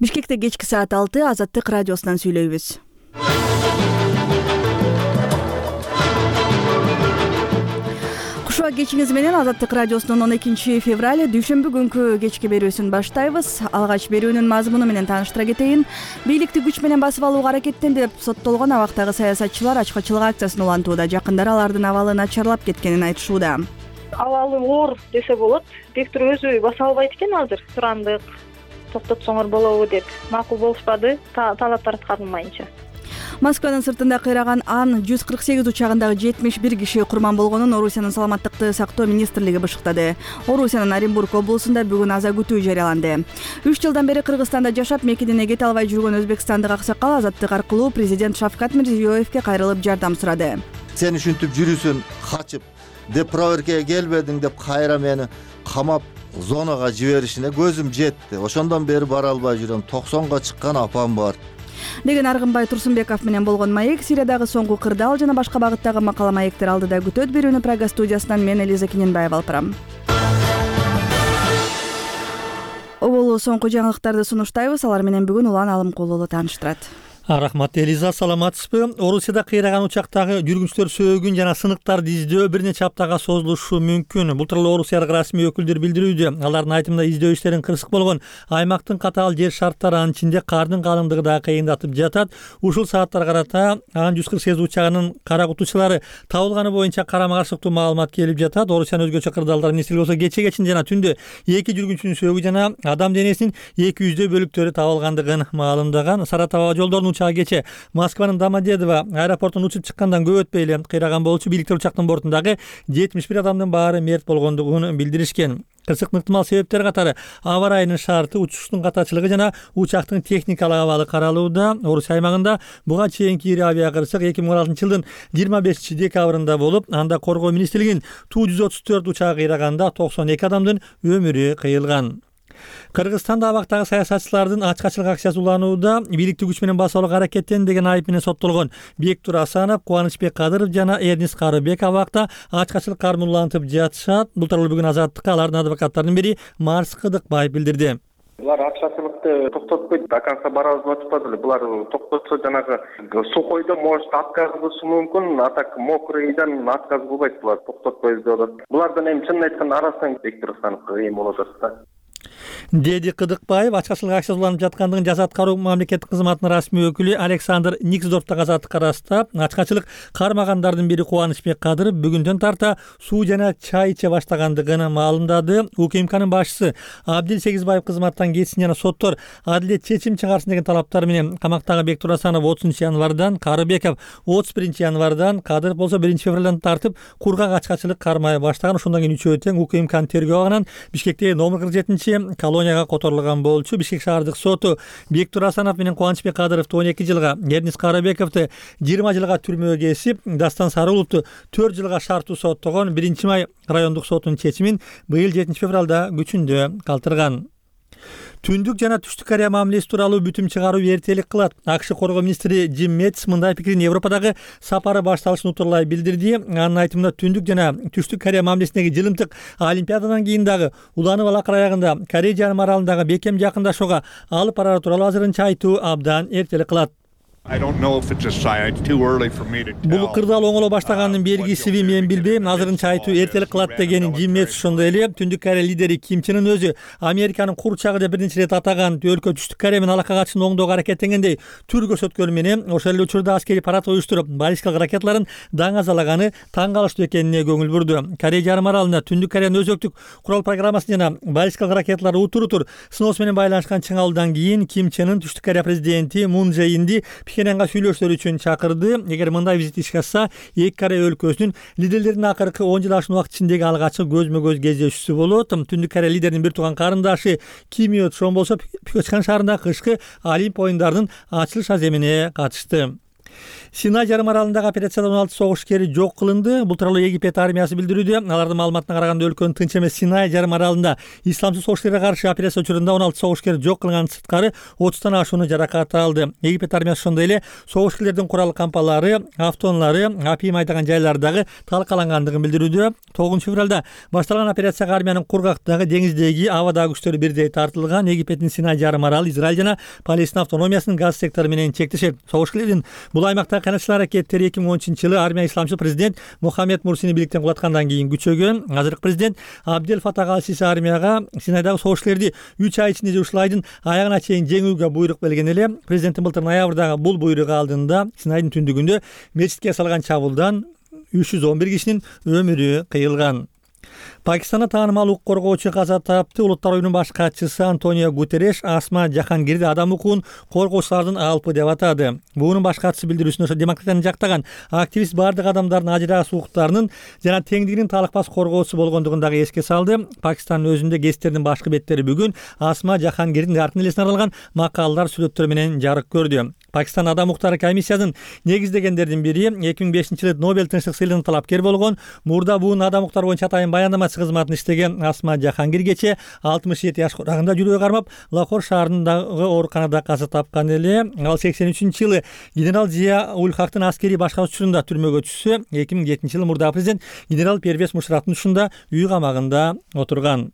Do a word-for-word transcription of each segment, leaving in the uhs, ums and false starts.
Бишкекте кечки саат алты Азаттык радиосунан сүйлөйбүз. Кушуа кечиңиз менен Азаттык радиосунун он экинчи февраль дүйшөмбү күнкү кечки берүүсүн баштайбыз. Алгач берүүнүн мазмуну менен тааныштыра кетейин. Бийликти күч менен басып алууга аракеттенди деп соттолгон абактагы саясатчылар ачкычылык акциясын улантууда. Жакындары алардын абалы начарлап кеткенин айтышууда. Абалы оор десе болот. Бектур өзү баса албайт экен азыр. Сурандык, токтотсоңор болобу деп макул болушпады, талаптар аткарылмайынча. Москванын сыртында кыйраган Ан жүз кырк сегиз учагындагы жетимиш бир киши курман болгонун Орусиянын саламаттыкты сактоо министрлиги бышыктады. Орусиянын Оренбург облусунда бүгүн аза күтүү жарыяланды. үч жылдан бери Кыргызстанда жашап, мекенине кете албай жүргөн өзбекстандык аксакал Азаттык аркылуу президент Шавкат Мирзиёевке кайрылып жардам сурады. Сен ушинтип жүрүсүң, качып, деп проверкага келбедиң деп кайра мени камап зонага жиберишине көзүм жетти. Ошондон бери бара албай жүрөм. токсонго чыккан апам бар деген Аргынбай Турсунбеков менен болгон маек, Сириядагы соңку кырдаал жана башка багыттагы макала маектер алдыда күтөт. Берүүнү Прага студиясынан мен Элиза Киненбаева алып барам. Оболу соңку жаңылыктарды сунуштайбыз. Алар менен бүгүн Улан Алымкулуу тааныштырат. Рахмат Элиза, саламатсызбы? Орусияда кыйраган учактагы жүргүнчүлөр сөөгүн жана сыныктарды издөө бир нече аптага созулушу мүмкүн. Бул тууралуу Орусиялык расмий өкүлдөр билдирүүдө. Алардын айтымында издөө иштерин кырсык болгон. Аймактын катаал жер шарттары, анын ичинде кардын калыңдыгы да кыйындатып жатат. Ушул сааттар карата Ан жүз кырк сегиз учагынын кара кутучулары табылганы боюнча карама каршылыктуу маалымат келип жатат. Орусиянын өзгөчө кырдаалдар министрлиги болсо кече кечин жана түндө эки жүргүнчүнүн сөөгү жана адам денесинин эки жүздөй бөлүктөрү табылгандыгын маалымдаган. Саратова жолдорунун учагы кече Москванын Домодедово аэропортунан учуп чыккандан көп өтпөй эле кыйраган болчу. Бийликтер учактын бортундагы жетимиш бир адамдын баары мерт болгондугун билдиришкен. Кырсыктын ыктымал себептери катары аба ырайынын шарты, учуштун катачылыгы жана учактын техникалык абалы каралууда. Орусия аймагында буга чейинки ири авиакырсык эки миң он алтынчы жылдын жыйырма бешинчи декабрында болуп, анда коргоо министрлигинин Ту жүз отуз төрт учагы кыйраганда токсон эки адамдын өмүрү кыйылган. Кыргызстанда абактагы саясатчылардын ачкачылык акциясы уланууда. Бийликти күч менен басып алууга аракеттенди деген айып менен соттолгон Бектур Асанов, Кубанычбек Кадыров жана Эрнис Карыбек абакта ачкачылык кармын улантып жатышат. Бул тууралуу бүгүн Азаттыкка алардын адвокаттарынын бири Марс Кыдыкбаев билдирди. Булар акчачылыкты токтотпойт, до конца барабызды айтышпады эле. Булар токтотсо жанагы сухойдо может отказ кылышы мүмкүн, а так мокрыйдан отказ кылбайт. Булар токтотпойбуз деп атат. Булардан эми чынын айтканда арасынан Бектур Асановго кыйын болуп атат да. Деди Кыдыкбаев ачкачылык акциясы уланып жаткандыгын Жаза аткаруу мамлекеттик кызматынын расмий өкүлү Александр Никсдорфтогу Азаттыкка ырастап, ачкачылык кармагандардын бири Кубанычбек Кадыров бүгүндөн тарта суу жана чай иче баштагандыгын маалымдады. УКМКнын башчысы Абдил Сегизбаев кызматтан кетсин жана соттор адилет чечим чыгарсын деген талаптар менен камактагы Бектур Асанов отузунчу январдан, Карыбеков отуз биринчи январдан, Кадыров болсо биринчи февралдан тартып кургак ачкачылык кармай баштаган. Ошондон кийин үчөө тең УКМКнын тергөө абагынан Бишкектеги номер кырк жетинчи колонияга которулган болчу. Бишкек шаардык соту Бектур Асанов менен Кубанычбек Кадыровду он эки жылга, Эрнис Карыбековду жыйырма жылга түрмөгө кесип, Дастан Сарыуловду төрт жылга шарттуу соттогон. Биринчи май райондук сотунун чечимин быйыл жетинчи февралда күчүндө калтырган. Түндүк жана Түштүк Корея мамилеси тууралуу бүтүм чыгаруу эртелик кылат. АКШ коргоо министри Джим Мэтис мындай пикирин Европадагы сапары башталышын утурлай билдирди. Анын айтымында Түндүк жана Түштүк Корея мамилесиндеги жылымтык олимпиададан кийин дагы уланып алакыр аягында Корея жарым аралындагы бекем жакындашууга алып барары тууралуу азырынча айтуу абдан эртелик кылат. Бул кырдаал оңоло баштаганын белгисиби мен билбейм. Азырынча айтуу эртелик кылат деген Джим Мэтис. Ошондой эле Түндүк Корея лидери Ким Чен Ын өзү Американын курчагы деп бир нече ирет атаган өлкө Түштүк Корея менен алака катышын оңдоого аракеттенгендей түр көрсөткөнү менен ошол эле учурда аскерий парад уюштуруп, баллистикалык ракеталарын даңазалаганы таң калыштуу экенине көңүл бурду. Корея жарым аралында Түндүк Кореянын өзөктүк курал программасын жана баллистикалык ракеталары утур-утур сыноосу менен байланышкан чыңалуудан кийин Ким Чен Ын Түштүк Корея президенти Мун Же Инди Пхеньянга сүйлөшүүлөр үчүн чакырды. Эгер мындай визит ишке ашса, эки Корея өлкөсүнүн лидерлеринин акыркы он жыл ашкан убакыт ичиндеги алгачкы көзмө-көз кездешүүсү болот. Түндүк Корея лидеринин бир тууган карындашы Ким Йо Чон болсо Пхеньян шаарындагы кышкы Олимп оюндарынын ачылыш аземине катышты. Синай жарым аралындагы операцияда он алты согушкери жок кылынды. Бул тууралуу Египет армиясы билдирүүдө. Алардын маалыматына караганда өлкөнүн тынч эмес Синай жарым аралында исламсыз согушкерге каршы операция учурунда он алты согушкер жок кылынган сырткары отуздан ашууну жаракат алды. Египет армиясы ошондой эле согушкерлердин курал кампалары, автоунаалары, апийим айдаган жайлардагы талкалангандыгын билдирүүдө. тогузунчу февралда башталган операцияга армиянын кургактагы, деңиздеги, абадагы күчтөрү бирдей тартылган. Египеттин Синай жарым аралы Израиль жана Палестина автономиясынын газ сектору менен чектешет. Согушкерлердин бул аймакта канатчыл аракеттери эки миң он үчүнчү жылы армия исламчыл президент Мухаммед Мурсини бийликтен кулаткандан кийин күчөгөн. Азыркы президент Абдел Фатах аль-Сиси армияга Синайдагы согушкерлерди үч ай ичинде ушул айдын аягына чейин жеңүүгө буйрук берген эле. Президенттин былтыр ноябрдагы бул буйругу алдында Синайдын түндүгүндө мечитке салган чабуулдан үч жүз он бир кишинин өмүрү кыйылган. Пакистанда таанымал укук коргоочу каза тапты. Улуттар оюнунун баш катчысы Антонио Гутерреш Асма Жахангирди адам укугун коргоочулардын алпы деп атады. Буунун баш катчысы билдирүүсүндө демократияны жактаган активист бардык адамдардын ажырагыс укуктарынын жана теңдигинин талыкпас коргоочусу болгондугун дагы эске салды. Пакистандын өзүндө гезиттердин башкы беттери бүгүн Асма Жахангирдин артын элесине арналган макалалар, сүрөттөр менен жарык көрдү. Пакистан адам укуктары комиссиясынын негиздегендердин бири эки миң бешинчи жылы Нобель тынчтык сыйлыгынын талапкери болгон, мурда буун адам укуктары боюнча атайын баяндамачы кызматын иштеген Асма Жахангиргече алтымыш жети жаш курагында жүрөгү кармап, Лахор шаарындагы ооруканада каза тапкан эле. Ал сексен үчүнчү жылы генерал Зия Уль Хактын аскерий башкаруу учурунда түрмөгө түшсө, эки миң жетинчи жылы мурдагы президент генерал Первез Мушрафтын ушунда үй камагында отурган.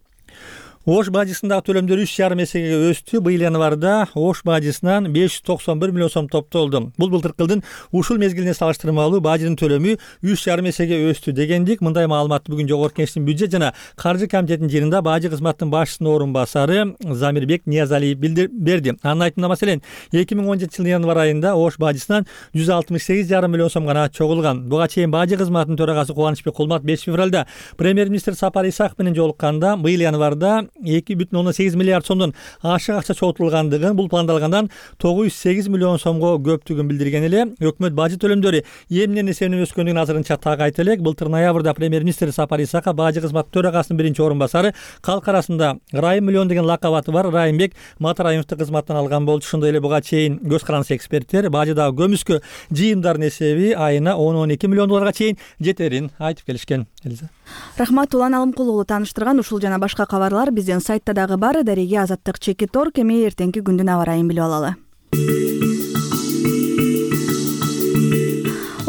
Ош бажысындагы төлөмдөр үч жарым эсеге өстү. Быйыл январда Ош бажысынан беш жүз токсон бир миллион сом топтолду. Бул былтыркы жылдын ушул мезгилине салыштырмалуу бажынын төлөмү үч жарым эсеге өстү дегендик. Мындай маалыматты бүгүн Жогорку Кеңештин бюджет жана каржы комитетинин жыйынында бажы кызматынын башчысынын орун басары Замирбек Ниязалиев билдирди. Анын айтымында маселен эки миң он жетинчи жылдын январ айында Ош бажысынан жүз алтымыш сегиз жарым миллион сом гана чогулган. Буга чейин бажы кызматынын төрагасы Кубанычбек Кулмат беш февралда премьер-министр Сапар Исаков менен жолукканда быйыл январда эки бүтүн ондон сегиз миллиард сомдон ашык акча чогултулгандыгын, бул пландалгандан тогуз жүз сегиз миллион сомго көптүгүн билдирген эле. Өкмөт бажы төлөмдөрү эмнен эсебинен өскөндүгүн азырынча так айта элек. Былтыр ноябрда премьер-министр Сапар Исаков бажы кызматы төрагасынын биринчи орун басары, калк арасында Райым миллион деген лакабаты бар Райымбек Матраимовду кызматтан алган болчу. Ошондой эле буга чейин көз карандысы эксперттер бажыдагы көмүскө жыйымдардын эсеби айына он он эки миллион долларга чейин жетерин айтып келишкен. Элиза. Рахмат, Улан Алымкулуулу тааныштырган ушул жана башка кабарлар биздин сайтта дагы бар. Дареге Азаттык чекит орг. Эми эртеңки күндүн аба ырайын билип алалы.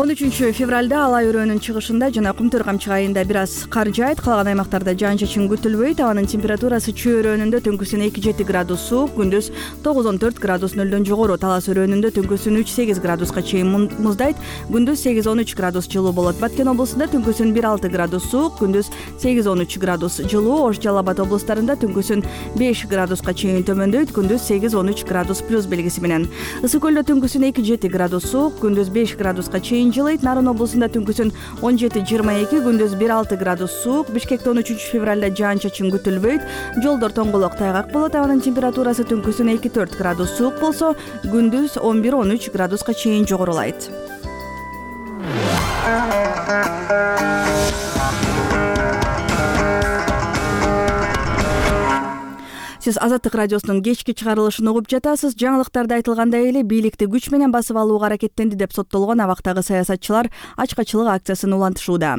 он үчүнчү февралда Алай өрөөнүн чыгышында жана Кумтөр камчык айында бир аз кар жаайт. Калган аймактарда жаан чачын күтүлбөйт. Абанын температурасы Чүй өрөөнүндө түнкүсүн эки жети градус суук, күндүз тогуз он төрт градус нөлдөн жогору. Талас өрөөнүндө түнкүсүн үч сегиз градуска чейин муздайт, күндүз сегиз он үч градус жылуу болот. Баткен облусунда түнкүсүн бир алты градус суук, күндүз сегиз он үч градус жылуу. Ош, Жалал Абад облустарында түнкүсүн беш градуска чейин төмөндөйт, күндүз сегиз он үч градус плюс белгиси менен. Ысык көлдө түнкүсүн эки жети градус суук, күндүз беш градуска чейин жылыйт. Нарын облусунда түнкүсүн он жети жыйырма эки, күндүз бир алты градус суук. Бишкекте он үчүнчү февралда жаан чачын күтүлбөйт. Жолдор тоңголок тайгак болот. Абанын температурасы түнкүсүн эки төрт градус суук болсо, күндүз он бир он үч градуска чейин жогорулайт. Сиз Азаттык радиосунун кечки чыгарылышын угуп жатасыз. Жаңылыктарда айтылгандай эле бийликти күч менен басып алууга аракеттенди деп соттолгон абактагы саясатчылар ачкачылык акциясын улантышууда.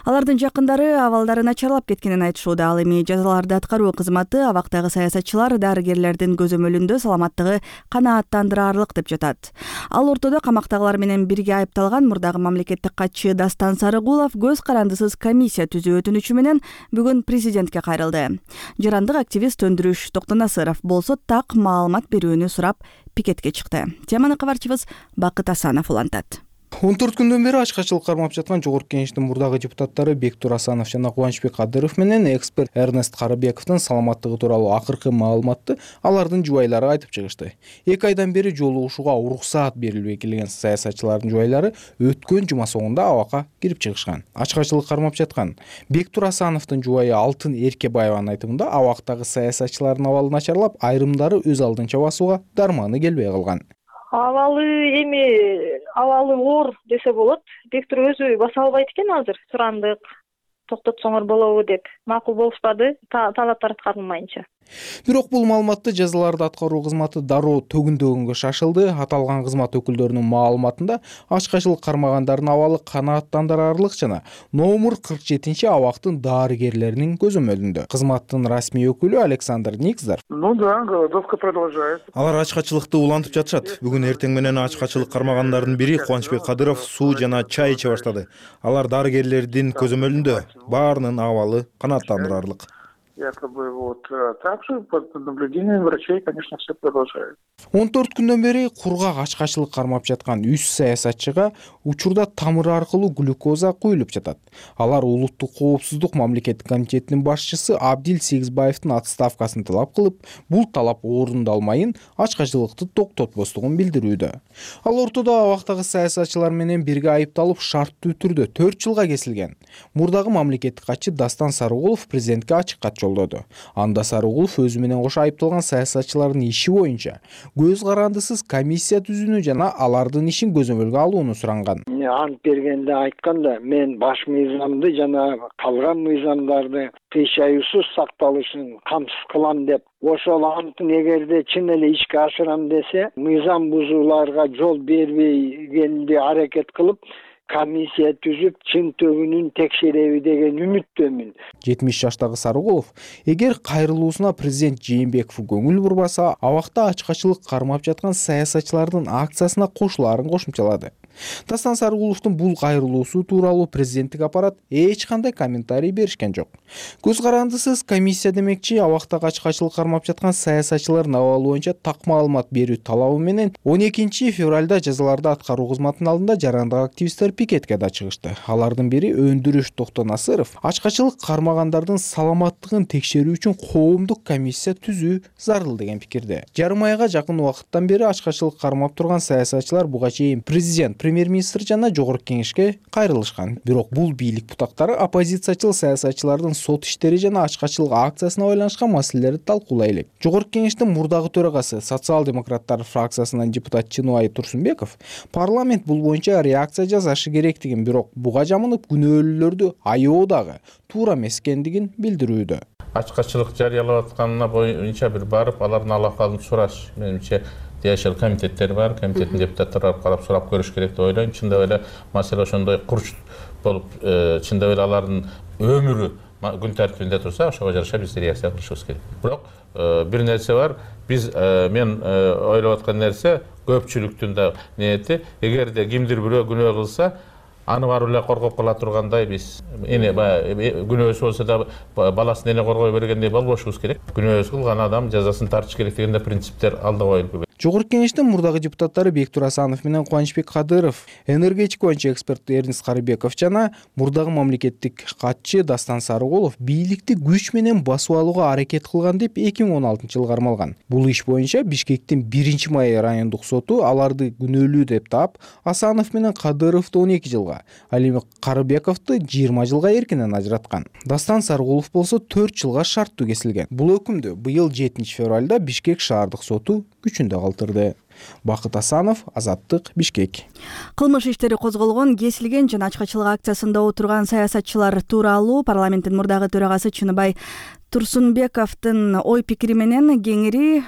Алардын жакындары абалдары начарлап кеткенин айтышууда. Ал эми жазаларды аткаруу кызматы абактагы саясатчылар дарыгерлердин көзөмөлүндө саламаттыгы канааттандыраарлык деп жатат. Ал ортодо камактагылар менен бирге айыпталган мурдагы мамлекеттик катчы Дастан Сарыгулов көз карандысыз комиссия түзүү өтүнүчү менен бүгүн президентке кайрылды. Жарандык активист Өндүрүш Токтонасыров болсо так маалымат берүүнү сурап пикетке чыкты. Теманы кабарчыбыз Бакыт Асанов улантат. он төрт күндөн бери ачкачылык кармап жаткан Жогорку Кеңештин мурдагы депутаттары Бектур Асанов жана Кубанычбек Кадыров менен эксперт Эрнест Карыбековдун саламаттыгы тууралуу акыркы маалыматты алардын жубайлары айтып чыгышты. эки айдан бери жолугушууга уруксаат берилбей келген саясатчылардын жубайлары өткөн жума соңунда абакка кирип чыгышкан. Ачкачылык кармап жаткан Бектур Асановдун жубайы Алтын Эркебаеванын айтымында абактагы саясатчылардын абалы начарлап, айрымдары өз алдынча басууга дарманы келбей калган. Абалы эми абалы оор десе болот. Бектур өзү баса албайт экен азыр. Сурандык, токтотсоңор болобу деп макул болушпады, талаптар аткарылмайынча. Бирок бул маалыматты жазаларды аткаруу кызматы дароо төгүндөгөнгө шашылды. Аталган кызмат өкүлдөрүнүн маалыматында ачкачылык кармагандардын абалы канааттандырарлык жана номер кырк жетинчи абактын дарыгерлеринин көзөмөлүндө. Кызматтын расмий өкүлү Александр Никзар: Ну да, голодовка продолжается. Алар ачкачылыкты улантып жатышат. Бүгүн эртең менен ачкачылык кармагандардын бири Кубанычбек Кадыров суу жана чай иче баштады. Алар дарыгерлердин көзөмөлүндө, баарынын абалы канааттандырарлык. Якобы вот также под наблюдением врачей, конечно, все продолжает. он төрт күндөн бери кургак ачкачылык кармап жаткан үч саясатчыга учурда тамыр аркылуу глюкоза куюлуп жатат. Алар улуттук коопсуздук мамлекеттик комитетинин башчысы Абдил Сегизбаевдин отставкасын талап кылып, бул талап орундалмайын ачкачылыкты токтотпостугун билдирүүдө. Ал ортодо абактагы саясатчылар менен бирге айыпталып шарттуу түрдө төрт жылга кесилген. Мурдагы мамлекеттик катчы Дастан Сарыгулов президентке ачык кат жолдоду. Анда Сарыгулов өзү менен кошо айыпталган саясатчылардын иши боюнча көз карандысыз комиссия түзүүнү жана алардын ишин көзөмөлгө алууну суранган. Ант бергенде айтканда, мен баш мыйзамды жана калган мыйзамдарды кыйшаюусуз сакталышын камсыз кылам деп, ошол антын эгерде чын эле ишке ашырам десе, мыйзам бузууларга жол бербегенди аракет кылып, комиссия түзүп чын төгүнүн текшереби деген үмүттөмүн. жетимиш жаштагы Сарыгулов эгер кайрылуусуна президент Жээнбеков көңүл бурбаса, абакта ачкачылык кармап жаткан саясатчылардын акциясына кошулаарын кошумчалады. Дастан Сарыгуловдун бул кайрылуусу тууралуу президенттик аппарат эч кандай комментарий беришкен жок. Көз карандысыз комиссия демекчи, абактагы ачкачылык кармап жаткан саясатчылардын абалы боюнча так маалымат берүү талабы менен он экинчи февралда жазаларды аткаруу кызматынын алдында жарандык активисттер пикетке да чыгышты. Алардын бири Өндүрүш Токтонасыров ачкачылык кармагандардын саламаттыгын текшерүү үчүн коомдук комиссия түзүү зарыл деген пикирде. Жарым айга жакын убакыттан бери ачкачылык кармап турган саясатчылар буга чейин президент, премьер-министр жана жогорку кеңешке кайрылышкан. Бирок бул бийлик бутактары оппозициячыл саясатчылардын сот иштери жана ачкачылык акциясына байланышкан маселелерди талкуулай элек. Жогорку кеңештин мурдагы төрагасы, социал-демократтар фракциясынын депутат Чыныбай Турсунбеков парламент бул боюнча реакция жасашы керектигин, бирок буга жамынып күнөөлүүлөрдү аябоо дагы туура эмес экендигин билдирүүдө. Ачкачылык жарыялап атканына боюнча бир барып, алардын алакалын сураш, менимче тиешелүү комитеттер бар, комитеттин депутаттары барып карап сурап көрүш керек деп ойлойм. Чындап эле маселе ошондой курч болуп, чындап эле алардын өмүрү күн тартибинде турса, ошого жараша биз реакция кылышыбыз керек. Бирок бир нерсе бар, биз мен ойлоп аткан нерсе көпчүлүктүн да ниети, эгерде кимдир бирөө күнөө кылса, аны барып эле коргоп кала тургандай биз эне баягы күнөөсү болсо да баласын эне коргой бергендей болбошубуз керек. Күнөөсү кылган адам жазасын тартыш керек деген принциптер алда коюлуп. Жогорку кеңештин мурдагы депутаттары Бектур Асанов менен Кубанычбек Кадыров, энергетика боюнча эксперт Эрнест Карыбеков жана мурдагы мамлекеттик катчы Дастан Сарыгулов бийликти күч менен басып алууга аракет кылган деп эки миң он алтынчы жылы кармалган. Бул иш боюнча Бишкектин биринчи май райондук соту аларды күнөөлүү деп таап, Асанов менен Кадыровду он эки жылга, ал эми Карыбековду жыйырма жылга эркинен ажыраткан. Дастан Сарыгулов болсо төрт жылга шарттуу кесилген. Бул өкүмдү быйыл жетинчи февралда Бишкек шаардык соту күчүндө калтырды. Бакыт Асанов, Азаттык, Бишкек. Кылмыш иштери козголгон, кесилген жана ачкачылык акциясында отурган саясатчылар тууралуу парламенттин мурдагы төрагасы Чыныбай Турсунбековдун ой пикири менен кеңири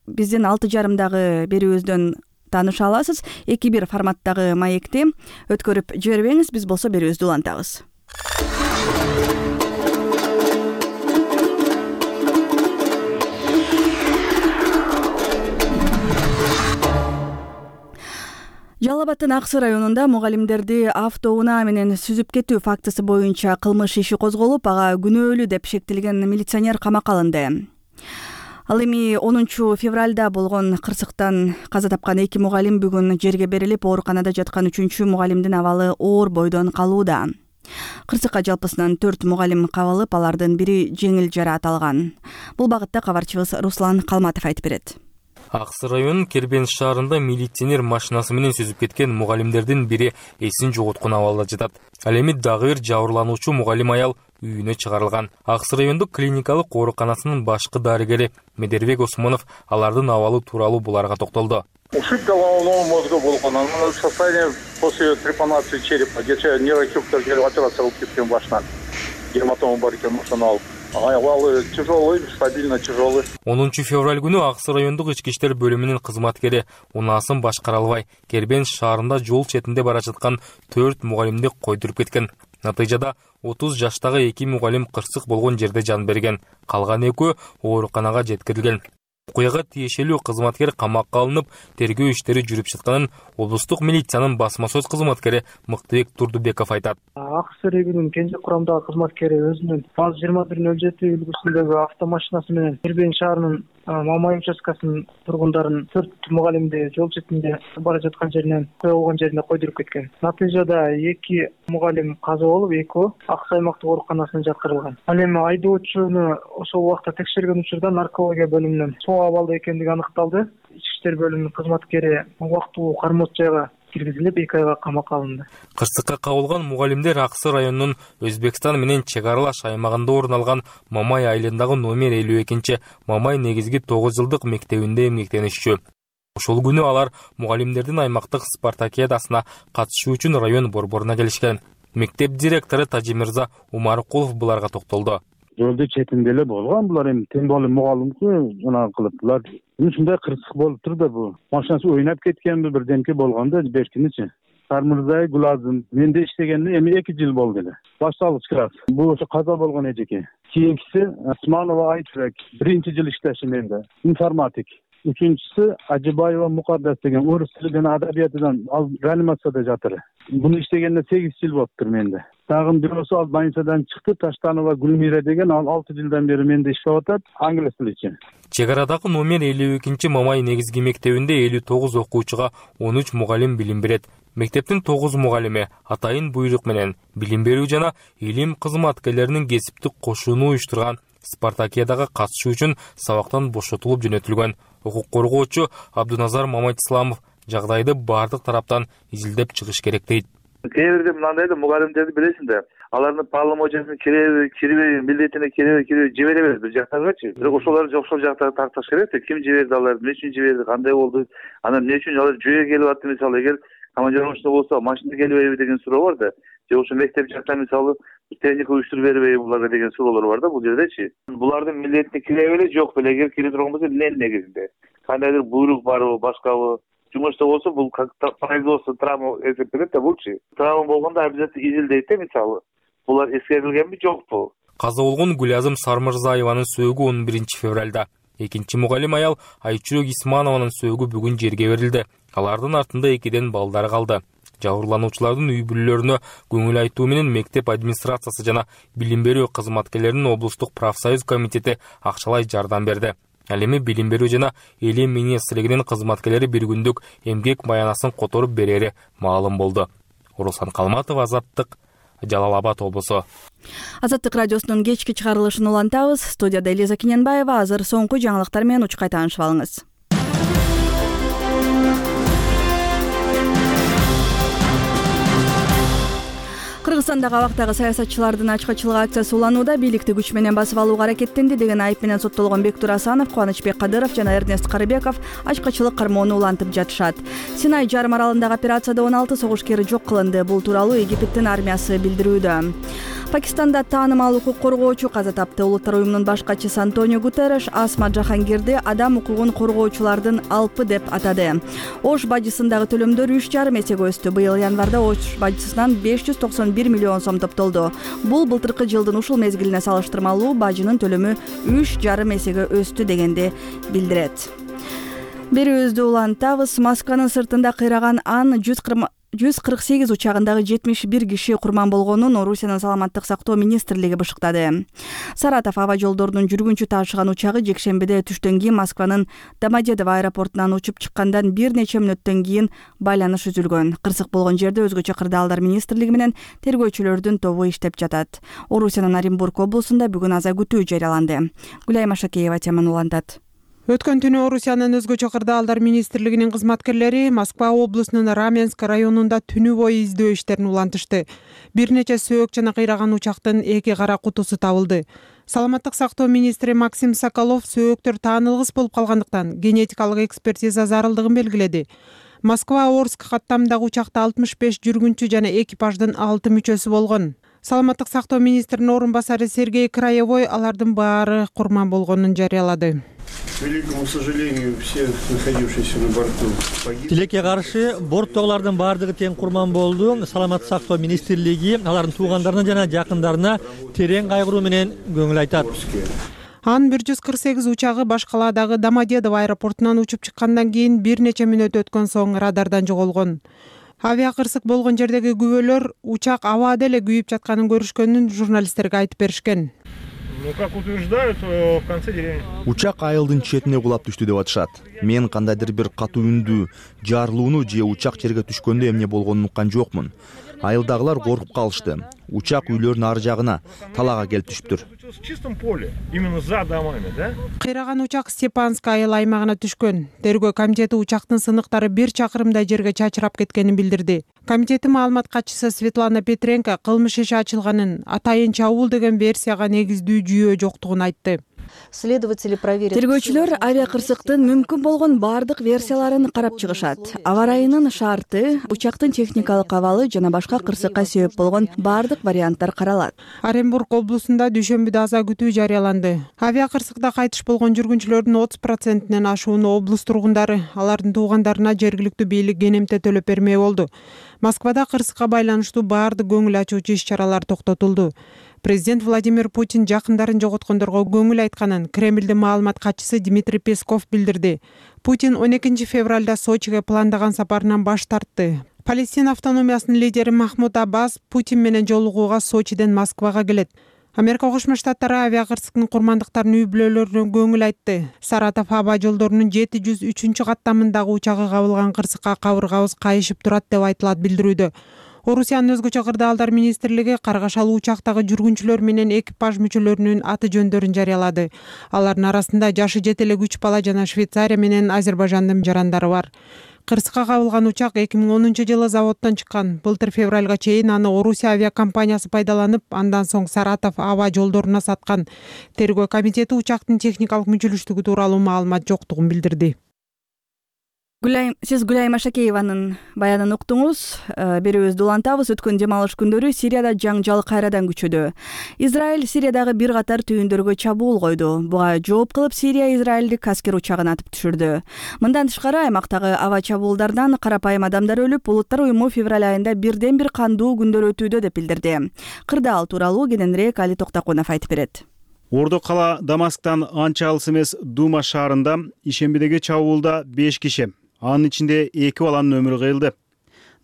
биздин алты жарымдагы берүүбүздөн тааныша аласыз. эки бир форматтагы маекти өткөрүп жибербеңиз, биз болсо берүүбүздү улантабыз. Жалал Абадтын Аксы районунда мугалимдерди автоунаа менен сүзүп кетүү фактысы боюнча кылмыш иши козголуп, ага күнөөлүү деп шектелген милиционер камакка алынды. Ал эми онунчу февралда болгон кырсыктан каза тапкан эки мугалим бүгүн жерге берилип, ооруканада жаткан үчүнчү мугалимдин абалы оор бойдон калууда. Кырсыкка жалпысынан төрт мугалим кабылып, алардын бири жеңил жараат алган. Бул багытта кабарчыбыз Руслан Калматов айтып берет. Аксы районунун Кербен шаарында милиционер машинасы менен сүзүп кеткен мугалимдердин бири эсин жоготкон абалда жатат. Ал эми дагы бир жабырлануучу мугалим аял үйүнө чыгарылган. Аксы райондук клиникалык ооруканасынын башкы дарыгери Медербек Осмонов алардын абалы тууралуу буларга токтолду. Ушибка головного мозга болгон, анын состояние после трепанации черепа, где нейрохирургтер операция кылып кеткен башынан. Гематома бар экен, ошону алып. Авалы тяжелый, стабильно тяжелый. онунчу февраль күнү Аксы райондук ички иштер бөлүмүнүн кызматкери унаасын башкара албай Кербен шаарында жол четинде бара жаткан төрт мугалимди койдуруп кеткен. Натыйжада отуз жаштагы эки мугалим кырсык болгон жерде жан берген. Калган экөө ооруканага жеткирилген. Окуяга тиешелүү кызматкер камакка алынып, тергөө иштери жүрүп жатканын облустук милициянын басма сөз кызматкери Мыктыбек Турдубеков айтат. Аксы районунун кенже курамдагы кызматкери өзүнүн АЗ жыйырма бир нөл жети үлгүсүндөгү автомашинасы менен Кербен шаарынын Мамай участкасынын тургундарын төрт мугалимди жол четинде бара жаткан жеринен окуя болгон жерине койдуруп кеткен. Натыйжада эки мугалим каза болуп, экөө Аксы аймактык ооруканасына жаткырылган. Ал эми айдоочуну ошол убакта текшерген учурда наркология бөлүмүнөн соо абалда экендиги аныкталды. Ички иштер бөлүмүнүн кызматкери убактылуу кармоочу жайга киргизилип, эки айга камакка алынды. Кырсыкка кабылган мугалимдер Аксы районунун Өзбекстан менен чек аралаш аймагында орун алган Мамай айылындагы номер элүү экинчи Мамай негизги тогуз жылдык мектебинде эмгектенишчү. Ошол күнү алар мугалимдердин аймактык спартакиадасына катышуу үчүн район борборуна келишкен. Мектеп директору Тажимирза Умаркулов буларга токтолду. Жолдун четинде эле болгон, булар эми тең болуп мугалимки жана кылып булар ушундай кырсык болуп турду. Бул машинасы ойнап кеткенби, бирдемке болгондо беркиничи. Сармырзай Гулазым менде иштегенде эми эки жыл болду эле. Башталгыч класс. Бул ошо каза болгон эжеке. Кийинкиси Османова Айтбек биринчи жыл иштеши менде. Информатик. Үчүнчүсү Ажыбаева Мукаддас деген орус тили жана адабиятынан ал реанимацияда жатыр. Буну иштегенде сегиз жыл болуптур менде. Дагы бирөөсү ал больницадан чыкты, Таштанова Гүлмира деген, ал алты жылдан бери менде иштеп атат, англис тиличи. Чек арадагы номер элүү экинчи Мамай негизги мектебинде элүү тогуз окуучуга он үч мугалим билим берет. Мектептин тогуз мугалими атайын буйрук менен билим берүү жана илим кызматкерлеринин кесиптик кошууну уюштурган спартакиадага катышуу үчүн сабактан бошотулуп жөнөтүлгөн. Укук коргоочу Абдуназар Мамайтисламов жагдайды бардык тараптан изилдеп чыгыш керек дейт. Кээ бирде мындай да мугалимдерди билесиң да, алардын полномочиясына киреби, кирбеби, милдетине киреби, киреби жиберебиз бир жактагычы. Бирок ошолор ошол жактагы тартыш керек да, ким жиберди алар, эмне үчүн жиберди, кандай болду, анан эмне үчүн алар жүйө келип атты, мисалы эгер командировочно болсо машина келбейби деген суроо бар да. Же ошо мектеп жактан мисалы техника уюштуруп бербейби буларга деген суроолор бар да бул жердечи. Булардын милдетине кире беле жок беле, эгер кире турган болсо эмне негизинде? Кандайдыр буйрук барбы, башкабы? Жумушта болсо бул производство травма эсептелет да булчу. Травма болгондо обязательно изилдейт да мисалы. Булар эскерилгенби жокпу? Каза болгон Гулязым Сармырзаеванын сөөгү он биринчи февралда. Экинчи мугалим аял Айчурок Исманованын сөөгү бүгүн жерге берилди. Алардын артында экиден балдары калды. Жабырлануучулардын үй бүлөлөрүнө көңүл айтуу менен мектеп администрациясы жана билим берүү кызматкерлеринин облустук профсоюз комитети акчалай жардам берди. Ал эми билим берүү жана элем министрлигинин кызматкерлери бир күндүк эмгек маянасын которуп берери маалым болду. Орусан Калматов, Азаттык, Жалал Абад облусу. Азаттык радиосунун кечки чыгарылышын улантабыз. Студияда Элиза Кененбаева. Азыр соңку жаңылыктар менен учкай таанышып алыңыз. Кыргызстандагы абактагы саясатчылардын ачкачылык акциясы уланууда. Бийликти күч менен басып алууга аракеттенди деген айып менен соттолгон Бектур Асанов, Кубанычбек Кадыров жана Эрнест Карыбеков ачкачылык кармоону улантып жатышат. Синай жарым аралындагы операцияда он алты согушкер жок кылынды. Бул тууралуу Египтин армиясы билдирүүдө. Пакистанда таанымал укук коргоочу каза тапты. Улуттар уюмунун баш катчысы Антонио Гутерреш Асма Жахангирди адам укугун коргоочулардын алпы деп атады. Ош бажысындагы төлөмдөр үч жарым эсеге өстү. Быйыл январда Ош бажысынан беш жүз токсон бир миллион сом топтолду. Бул былтыркы жылдын ушул мезгилине салыштырмалуу бажынын төлөмү үч жарым эсеге өстү дегенди билдирет. Берүүбүздү улантабыз. Москванын сыртында кыйраган Ан жүз кырк сегиз учагындагы жетимиш бир киши курман болгонун Орусиянын саламаттык сактоо министрлиги бышыктады. Саратов аба жолдорунун жүргүнчү таашыган учагы жекшембиде түштөн кийин Москванын Домодедово аэропортунан учуп чыккандан бир нече мүнөттөн кийин байланыш үзүлгөн. Кырсык болгон жерде өзгөчө кырдаалдар министрлиги менен тергөөчүлөрдүн тобу иштеп жатат. Орусиянын Оренбург облусунда бүгүн аза күтүү жарыяланды. Гүлайма Шакеева теманы улантат. Өткөн түнү Орусиянын өзгөчө кырдаалдар министрлигинин кызматкерлери Москва облусунун Раменск районунда түнү бою издөө иштерин улантышты. Бир нече сөөк жана кыйраган учактын эки кара кутусу табылды. Саламаттык сактоо министри Максим Соколов сөөктөр таанылгыс болуп калгандыктан генетикалык экспертиза зарылдыгын белгиледи. Москва Орск каттамдагы учакта алтымыш беш жүргүнчү жана экипаждын алты мүчөсү болгон. Саламаттык сактоо министринин орун басары Сергей Краевой алардын баары курман болгонун жарыялады. К великому сожалению, все находившиеся на борту погибли. Тилекке каршы борттогулардын баардыгы тең курман болду. Саламаттык сактоо министрлиги алардын туугандарына жана жакындарына терең кайгыруу менен көңүл айтат. Ан бир жүз кырк сегиз учагы Башкаладагы Домодедово аэропортунан учуп чыккандан кийин бир нече мүнөт өткөн соң радардан жоголгон. Авиакырсык болгон жердеги күбөлөр учак абада эле күйүп жатканын көрүшкөнүн журналисттерге айтып беришкен. Ну, как утверждают, в конце деревни. Учак айылдын четине кулап түштү деп атышат. Мен кандайдыр бир катуу үндү, жарылууну же учак жерге түшкөндө эмне болгонун уккан жокмун. Айылдагылар коркуп калышты. Учак үйлөрдүн ар жагына, талаага келип түшүптүр. В чистом поле, именно за домами, да? Кыйраган учак Степанск айыл аймагына түшкөн. Тергөө комитети учактын сыныктары бир чакырымдай жерге чачырап кеткенин билдирди. Комитеттин маалымат катчысы Светлана Петренко кылмыш иши ачылганын, атайын чабуул деген версияга негиздүү жүйө жоктугун айтты. Следователи проверят. Тергөөчүлөр авиакырсыктын мүмкүн болгон баардык версияларын карап чыгышат. Аба ырайынын шарты, учактын техникалык абалы жана башка кырсыкка себеп болгон баардык варианттар каралат. Оренбург облусунда дүйшөмбүдө аза күтүү жарыяланды. Авиакырсыкта кайтыш болгон жүргүнчүлөрдүн отуз процентинен ашууну облус тургундары, алардын туугандарына жергиликтүү бийлик кенемте төлөп бермей болду. Москвада кырсыкка байланыштуу баардык көңүл ачуучу иш-чаралар токтотулду. Президент Владимир Путин жакындарын жоготкондорго көңүл айтканын Кремлдин маалымат катчысы Дмитрий Песков билдирди. Путин он экинчи февралда Сочиге пландаган сапарынан баш тартты. Палестина автономиясынын лидери Махмуд Аббас Путин менен жолугууга Сочиден Москвага келет. Америка Кошмо Штаттары авиакырсыктын курмандыктарын үй бүлөлөрүнө көңүл айтты. Саратов аба жолдорунун жети жүз үчүнчү каттамындагы учагы кабылган кырсыкка кабыргабыз кайышып турат деп айтылат билдирүүдө. Орусиянын өзгөчө кырдаалдар министрлиги каргашалуу учактагы жүргүнчүлөр менен экипаж мүчөлөрүнүн аты жөндөрүн жарыялады. Алардын арасында жашы жете элек үч бала жана Швейцария менен Азербайжандын жарандары бар. Кырсыкка кабылган учак эки миң онунчу жылы заводдон чыккан. Былтыр февралга чейин аны Орусия авиакомпаниясы пайдаланып, андан соң Саратов аба жолдоруна саткан. Тергөө комитети учактын техникалык мүчөлүштүгү тууралуу маалымат жоктугун билдирди. Гүлайым, сиз Гүлайым Ашакееванын баянын уктуңуз. Берүүбүздү улантабыз. Өткөн дем алыш күндөрү Сирияда жаңжал кайрадан күчөдү. Израиль Сириядагы бир катар түйүндөргө чабуул койду. Буга жооп кылып Сирия израилдик аскер учагын атып түшүрдү. Мындан тышкары аймактагы аба чабуулдардан карапайым адамдар өлүп, Улуттар уюму февраль айында бирден бир кандуу күндөр өтүүдө деп билдирди. Кырдаал тууралуу кененирээк Али Токтакунов айтып берет. Ордо кала Дамасктан анча алыс эмес Дума шаарында ишембидеги чабуулда беш киши, анын ичинде эки баланын өмүрү кыйылды.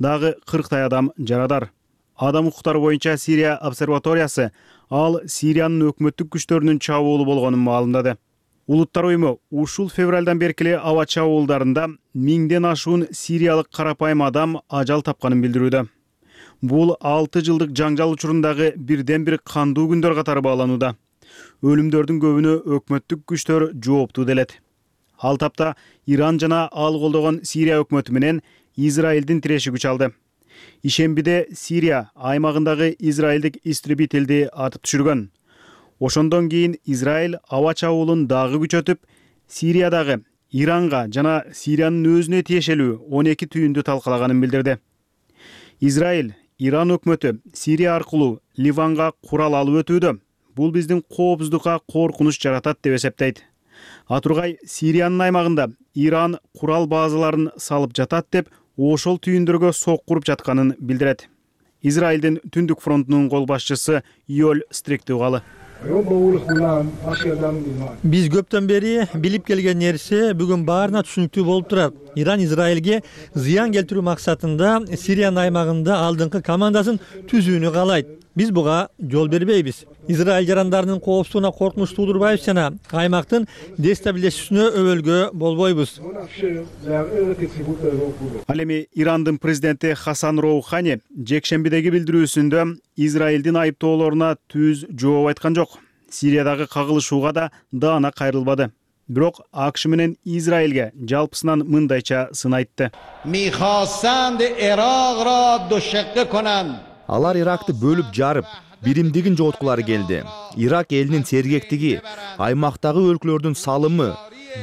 Дагы кырктай адам жарадар. Адам укуктары боюнча Сирия обсерваториясы ал Сириянын өкмөттүк күчтөрүнүн чабуулу болгонун маалымдады. Улуттар уюму ушул февралдан бери эле аба чабуулдарында миңден ашуун сириялык карапайым адам ажал тапканын билдирүүдө. Бул алты жылдык жаңжал учурундагы бирден бир кандуу күндөр катары бааланууда. Өлүмдөрдүн көбүнө өкмөттүк күчтөр жооптуу делет. Ал тапта Иран жана ал колдогон Сирия өкмөтү менен Израилдин тиреши күч алды. Ишембиде Сирия аймагындагы израилдик истребителди атып түшүргөн. Ошондон кийин Израиль аба чабуулун дагы күчөтүп, Сириядагы Иранга жана Сириянын өзүнө тиешелүү он эки түйүндү талкалаганын билдирди. Израиль Иран өкмөтү Сирия аркылуу Ливанга курал алып өтүүдө. Бул биздин коопсуздукка коркунуч жаратат деп эсептейт. Атургай Сириянын аймагында Иран курал базаларын салып жатат деп ошол түйүндөргө сок куруп жатканын билдирет. Израилдин түндүк фронтунун кол башчысы Йоль Стриктугалы. Биз көптөн бери билип келген нерсе бүгүн баарына түшүнүктүү болуп турат. Иран Израилге зыян келтирүү максатында Сириянын аймагында алдыңкы командасын түзүүнү каалайт. Биз буга жол бербейбиз. Израиль жарандарынын коопсуздугуна коркунуч туудурбайбыз жана аймактын дестабилиздешүүсүнө өбөлгө болбойбуз. Ал эми Ирандын президенти Хасан Роухани жекшембидеги билдирүүсүндө Израилдин айыптоолоруна түз жооп айткан жок. Сириядагы кагылышууга да даана кайрылбады. Бирок АКШ менен Израилге жалпысынан мындайча сын айтты. Алар Иракты бөлүп жарып, биримдигин жоготкулары келди. Ирак элинин сергектиги, аймактагы өлкөлөрдүн салымы,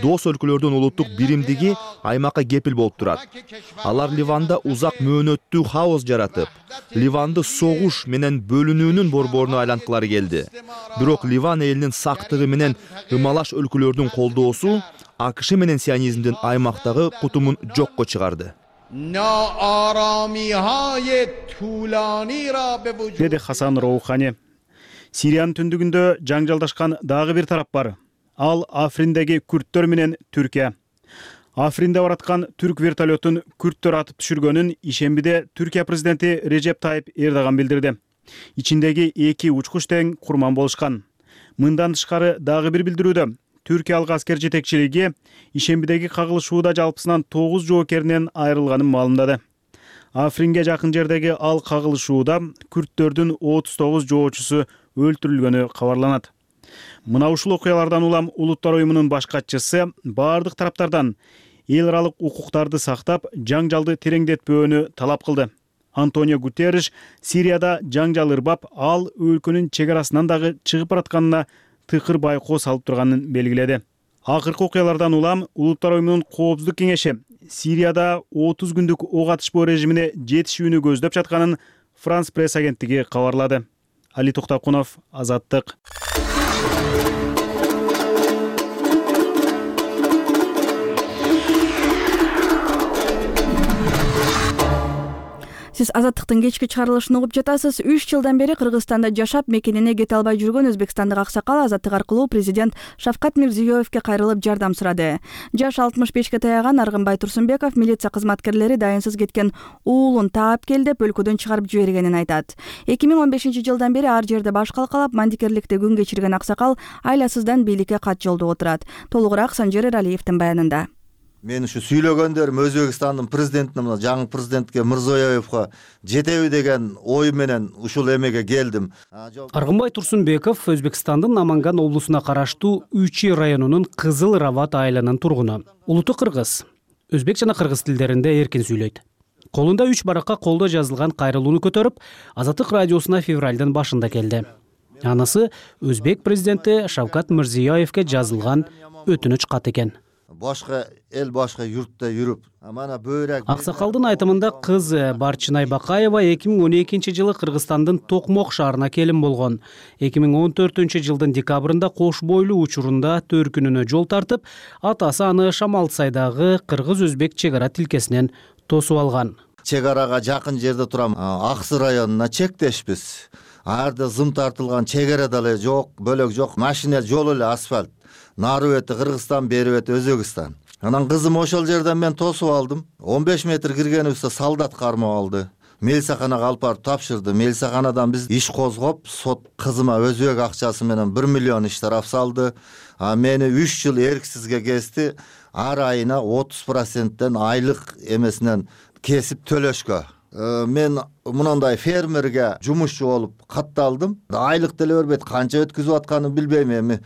дос өлкөлөрдүн улуттук биримдиги аймакка кепил болуп турат. Алар Ливанда узак мөөнөттүү хаос жаратып, Ливанды согуш менен бөлүнүүнүн борборуна айланткылары келди. Бирок Ливан элинин сактыгы менен ымалаш өлкөлөрдүн колдоосу АКШ менен сионизмдин аймактагы кутумун жокко чыгарды. Деди Хасан Роухани. Сириянын түндүгүндө жаңжалдашкан дагы бир тарап бар. Ал Африндеги күрттөр менен Түркия. Афринде бараткан түрк вертолетун күрттөр атып түшүргөнүн ишембиде Түркия президенти Режеп Тайып Эрдоган билдирди. Ичиндеги эки учкуч тең курман болушкан. Мындан тышкары дагы бир билдирүүдө Түркиялык аскер жетекчилиги ишембидеги кагылышууда жалпысынан тогуз жоокеринен айрылганын маалымдады. Афринге жакын жердеги ал кагылышууда күрттөрдүн отуз тогуз жоочусу өлтүрүлгөнү кабарланат. Мына ушул окуялардан улам Улуттар уюмунун баш катчысы бардык тараптардан эл аралык укуктарды сактап, жаңжалды тереңдетпөөнү талап кылды. Антонио Гутерриш Сирияда жаңжал ырбап, ал өлкөнүн чек арасынан дагы чыгып баратканына тыкыр байкоо салып турганын белгиледи. Акыркы окуялардан улам Улуттар уюмунун коопсуздук кеңеши Сирияда отуз күндүк ок атышпоо режимине жетишүүнү көздөп жатканын Франс пресс агенттиги кабарлады. Али Токтакунов, Азаттык. Сиз Азаттыктын кечки чыгарылышын угуп жатасыз. үч жылдан бери Кыргызстанда жашап, мекенине кете албай жүргөн өзбекстандык аксакал Азаттык аркылуу президент Шавкат Мирзиёевке кайрылып жардам сурады. Жаш алтымыш бешке таяган Аргынбай Турсунбеков милиция кызматкерлери дайынсыз кеткен уулун таап кел деп өлкөдөн чыгарып жибергенин айтат. эки миң он бешинчи жылдан бери ар жерде баш калкалап, мандикерликте күн кечирген аксакал айласыздан бийликке кат жолдоп отурат. Толугураак Санжер Эралиевдин баянында. Мен ушу сүйлөгөндөрүм Өзбекстандын президентине, мына жаңы президентке Мирзиёевго жетеби деген ой менен ушул эмеге келдим. Аргынбай Турсунбеков Өзбекстандын Наманган облусуна караштуу Учи районунун Кызыл Рават айылынын тургуну. Улуту кыргыз. Өзбек жана кыргыз тилдеринде эркин сүйлөйт. Колунда үч баракка колдо жазылган кайрылууну көтөрүп, Азаттык радиосуна февралдын башында келди. Анысы өзбек президенти Шавкат Мирзиёевке жазылган өтүнүч кат экен. Башка эл, башка юртта жүрүп, мана бөйрөк. Аксакалдын айтымында кыз Барчынай Бакаева эки миң он экинчи жылы Кыргызстандын Токмок шаарына келин болгон. эки миң он төртүнчү жылдын декабрында кош бойлуу учурунда төркүнүнө жол тартып, атасы аны Шамалсайдагы кыргыз-өзбек чек ара тилкесинен тосуп алган. Чек арага жакын жерде турам, Аксы районуна чектешпиз. Арда зым тартылган чек ара деле жок, бөлөк жок, машина жол эле асфальт. Нары бети Кыргызстан, бери бети Өзбекстан. Анан кызым ошол жерден мен тосуп алдым. он беш метр киргенибизде солдат кармап алды. Милицияханага алып барып тапшырды. Милицияханадан биз иш козгоп, сот кызыма өзбек акчасы менен бир миллион иштраф салды. А мени үч жыл эрксизге кести. Ар айына отуз проценттен айлык эмесинен кесип төлөшкө. Мен мындай фермерге жумушчу болуп катталдым. Айлык деле бербейт, канча өткүзүп атканын билбейм эми.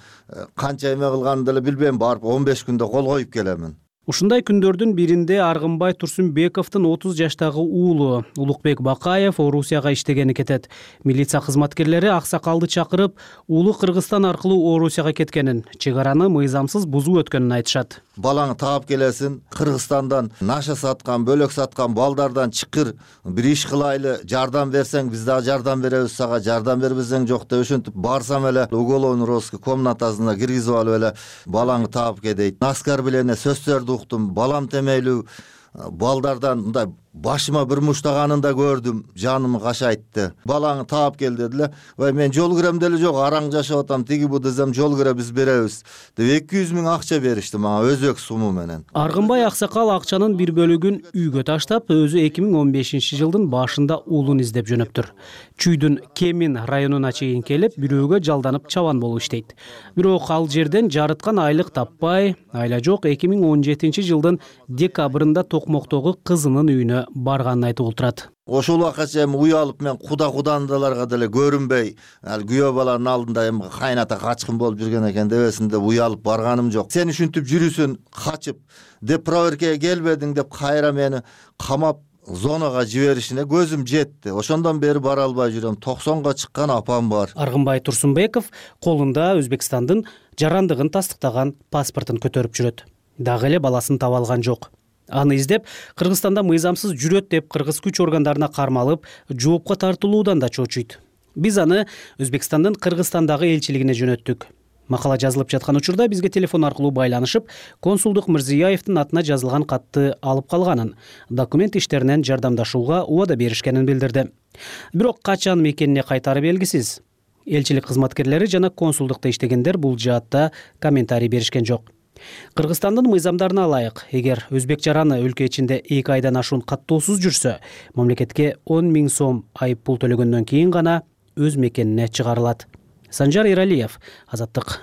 Канча эме кылганын деле билбейм, барып он беш күндө кол коюп келемин. Ушундай күндөрдүн биринде Аргынбай Турсунбековдун отуз жаштагы уулу Улукбек Бакаев Орусияга иштегени кетет. Милиция кызматкерлери аксакалды чакырып, уулу Кыргызстан аркылуу Орусияга кеткенин, чек араны мыйзамсыз бузуп өткөнүн айтышат. Балаңы таап келесин, Кыргызстандан наша саткан, бөлөк саткан балдардан чыкыр, бир иш кылайлы, жардам берсең биз дагы жардам беребиз сага, жардам бербесең жок деп ошентип барсам эле уголовный розыск комнатасына киргизип алып эле балаңы таап ке дейт. Оскорбление сөздөрдү уктум, балам темейлүү балдардан мындай башыма бир муштаганын да көрдүм, жаным кашайтты. Балаңы таап кел дедиле. Вай мен жол кирем деле жок, араң жашап атам, тиги бу десем жол кире биз беребиз деп эки жүз миң акча беришти мага өзбек суму менен. Аргынбай аксакал акчанын бир бөлүгүн үйгө таштап, өзү эки миң он бешинчи жылдын башында уулун издеп жөнөптүр. Чүйдүн Кемин районуна чейин келип, бирөөгө жалданып чабан болуп иштейт. Бирок ал жерден жарыткан айлык таппай, айла жок эки миң он жетинчи жылдын декабрында Токмоктогу кызынын үйүнө барганын айтып отурат. Ошол убакача эми уялып мен куда-кудандаларга деле көрүнбөй, ал күйөө баланын алдында эми кайната качкын болуп жүргөн экен дебесин деп уялып барганым жок. Сен ушинтип жүрүсүн, качып деп проверкага келбедиң деп кайра мени камап зонага жиберишине көзүм жетти. Ошондон бери бара албай жүрөм. токсонго чыккан апам бар. Аргынбай Турсунбеков колунда Өзбекстандын жарандыгын тастыктаган паспортун көтөрүп жүрөт. Дагы эле баласын таба алган жок. Аны издеп Кыргызстанда мыйзамсыз жүрөт деп кыргыз күч органдарына кармалып, жоопко тартылуудан да чочуйт. Биз аны Өзбекстандын Кыргызстандагы элчилигине жөнөттүк. Макала жазылып жаткан учурда бизге телефон аркылуу байланышып, консулдук Мирзиёевдин атына жазылган катты алып калганын, документ иштеринен жардамдашууга убада беришкенин билдирди. Бирок качан мекенине кайтары белгисиз. Элчилик кызматкерлери жана консулдукта иштегендер бул жаатта комментарий беришкен жок. Кыргызстандын мыйзамдарына ылайык, эгер өзбек жараны өлкө ичинде эки айдан ашуун каттоосуз жүрсө, мамлекетке он миң сом айып пул төлөгөндөн кийин гана өз мекенине чыгарылат. Санжар Эралиев, Азаттык.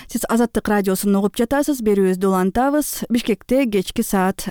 Сиз Азаттык радиосун угуп жатасыз. Берүүбүздү улантабыз. Бишкекте кечки саат